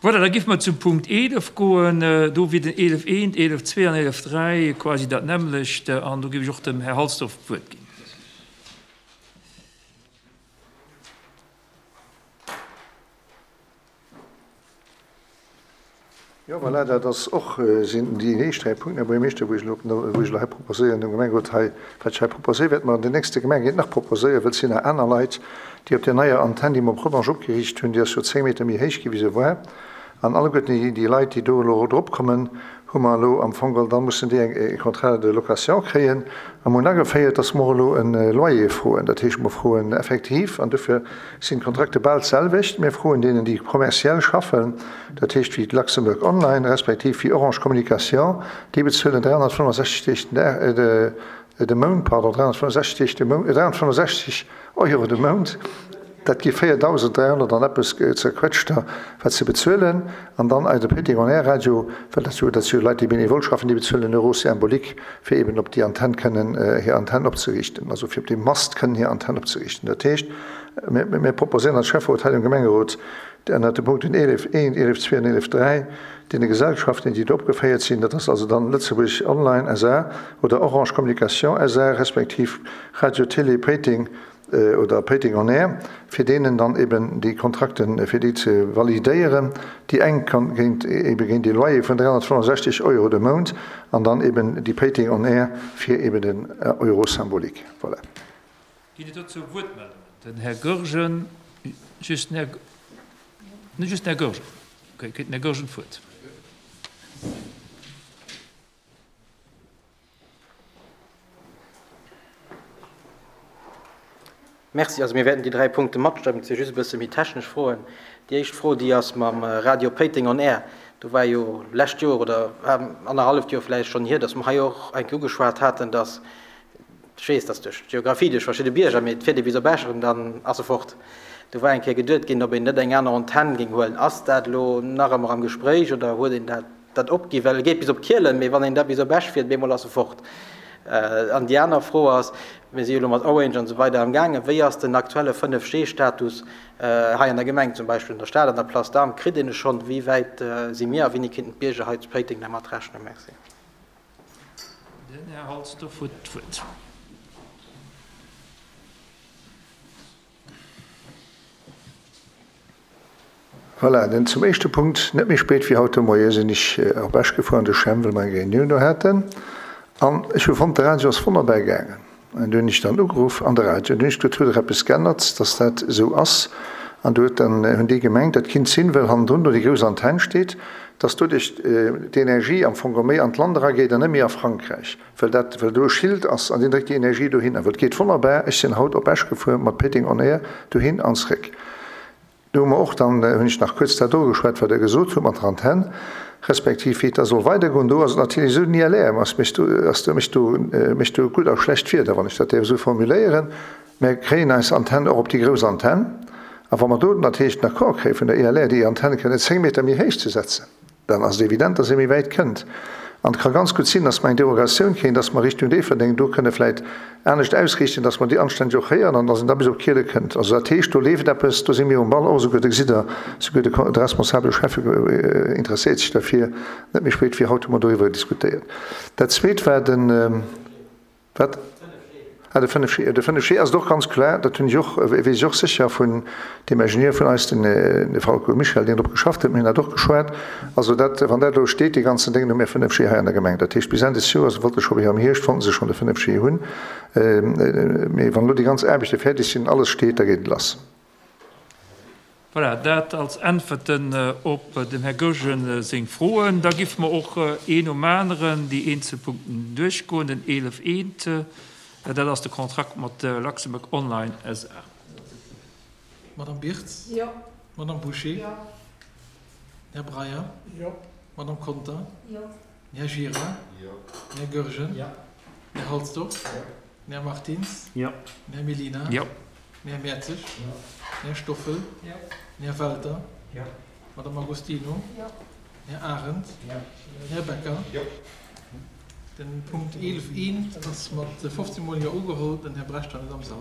Voilà, da géife mer zum Punkt 11 goen. Do wier den 11 eent, 11 zwee an 11 dräi quasi dat nämmlecht. An do géif ech och dem Här Halsdorf d'Wuert ginn. Jo, voilà, dat ass och, sinn déi éischt 3 Punkten, Här Buergermeeschter, wou ech elo, wou ech elo hei proposéieren dem Gemengerot hei, wat ech hei proposéieren, wäerte mer an den nächste Gemengeréit nach proposéieren, well et sinn nach aner Leit, déi op där neier Antenn, déi mer op Rodange opgeriicht hunn, déi ass jo 10 Meter méi héich gi wéi se war, an alleguerten déi, déi Leit, déi do elo drop kommen, hu mer elo am Fong geholl, da mussen déi eng e Contrat de location kréien a mer hunn ageféiert, dass mer och elo e Loyer froen. Dat heescht, mer froen effektiv, an dofir sinn d'Kontrakte bal d'selwecht, mir froen deenen, déi kommerziell schaffen, dat heescht wéi d'Luxembourg Online respektiv wéi Orange Communication, déi bezuelen 365 Deeg den Dag, de Mount, pardon, 365 Deeg de Mount, 365 Euro de Mount, dat gi 4.300 an eppes zerquetschter, wat se bezuelen. An dann eise Péteng On Air Radio, well dat jo, dat si jo Leit, déi benevol schaffen, déi bezuelen en Euro symbolique, fir eben op déi Antenn kënnen hir Antenn opzeriichten, also fir op deem Mast kënnen hir Antenn opzeriichten. Dat heescht, mir, mir proposéieren als Schäfferot hei dem Gemengerot, ënnert de Punkten 11, 1, 11, 2 an 11, 3, deene Gesellschaften, déi do opgeféiert sinn, dat ass also dann Lëtzebuerg Online SA oder Orange Communication SA respektiv Radio Télé Péiteng oder Péiteng On Air, fir deenen dann eben déi Kontrakten, fir déi ze validéieren, déi eng géint ebe géint ee Loyer vun 365 Euro de Mount an dann eben déi Péiteng On Air fir eben den Euro symbolique. Voilà. Ginn et dozou Wuertmeldungen? Den Här Goergen, just den Här, just den Här Goergen. Okay, kritt den Här Goergen d'Wuert. Merci. Also mir wäerten déi 3 Punkte matstëmmen. Et si just e bësse méi technesch Froen. Déi éischt Fro, déi ass mam Radio Péiteng on Air. Do war jo lescht Joer oder annerhalleft Joer vläicht schonn hier, datt mer hei och eng Kéier ugeschwat haten, datt, ech weess, datt duerch d'Geographie, duerch verschidde Bierger, mee et fiert ee bis op Esch an dann ass e fort. Do war eng Kéier geduet ginn, ob een net eng aner Antenn géing huelen. Ass dat elo nach ëmmer am Gespréich oder huet een dat dat opgi well e geet bis op Kielen, mee wann een da bis op Esch fiert, bemol ass e fort. An déi aner Fro ass, mir si jo elo mat Orange an esou weider am gaangen, wéi ass den aktuelle 5G-Status hei an der Gemeng, zum Beispill an der Stad, an der Place d'Armes, kritt een e schonn? Wéi wäit si mir a wéini kéinten d'Bierger hei zu Péiteng dermat rechnen? Merci. Den Här Halsdorf huet d'Wuert. Voilà, dann zum éischte Punkt. Net méi spéit wéi haut de Moie sinn ech op Esch gefuer an de Chem, well mer eng Reunioun do haten. An ech hu fonnt, de Radio ass wonnerbar gaangen. An du hunn ech dann ugeruff an de Radio. An du hunn ech gesot, Huet der eppes g'ännert, dass dat esou ass? An du huet dann, hunn déi gemengt, dat kinnt sinn, well hannendrun do déi grouss Antenn steet, dass doduerch d'Energie am Fong méi an d'Land erageet an net méi a Frankräich. Well dat, well do e Schild ass an deen dréckt déi Energie dohinner. Well et geet wonnerbar, ech sinn haut op Esch gefuer mat Péiteng on Air dohin an zréck. Do hu mer och dann, hunn ech nach kuerz dat ugeschwat, wat Der gesot hutt mat der Antenn, respektiv wéi et da soll weidergoen. Do ass et natierlech esou, den ILR ass mécht do, ass do, mécht do, mécht do gutt a schlecht Wieder, wann ech dat däerf esou formuléieren. Mer kréien eis Antenn och op déi grouss Antenn. A wa mer do natierlech den Accord kréie vun der ILR, déi Antenn kënnen 10 Meter méi héich ze setzen, Dann ass et evident, dass ee méi wäit kënnt. An et ka ganz gutt sinn, dass mer eng Derogatioun kréien, dass mer Richtung Déifferdeng do kënne vläicht anescht ausriichten, dass mer déi anstänneg och héieren an dass een da bis op Kiele kënnt. Also dat heescht, do leeft eppes, do si mir um Ball och. Esouguer, do gesitt Der, esouguer de de responsabele Schäffe interesséiert sech derfir. Net méi spéit wéi haut hu mer doriwwer diskutéiert. Dat Zweet war den. Wat? Ah, de 5G. De 5G ass et och ganz kloer, dat hunn ech och, weess ech och sécher vun deem Ingenieur vun eis, den de Falco Michel, deen drop geschafft huet, mir hunn dat och geschwat. Also dat, wann dat elo steet, dee ganzen Déng, hu mir 5G hei an der Gemeng. Dat heescht, bis Enn des Joers, wollte scho wéi am Hierscht, wollten se schonn de 5G hunn. Mee wann elo déi ganz Aarbechte fäerdeg sinn, alles steet, da geet et lass. Voilà, dat als Äntwerten op dem Här Goergen seng Froen. Da giffe mer och een nom aneren déi eenzel Punkten duerchgoen. Den 11 eent, dat ass de Kontrakt mat Luxembourg Online SA. Madame Birtz. Jo. Madame Bouché. Jo. Här Breyer. Jo. Madame Conter. Jo. Här Gira. Jo. Här Goergen. Jo. Här Halsdorf. Jo. Här Martins. Jo. Här Mellina. Jo. Här Mertzig. Jo. Här Stoffel. Jo. Här Welter. Jo. Madame Agostino. Jo. Här Arendt. Jo. Här Becker. Jo. Den Punkt 11 I ass mat 15 mol Jo ugeholl. Den Här Brecht war net am Sall.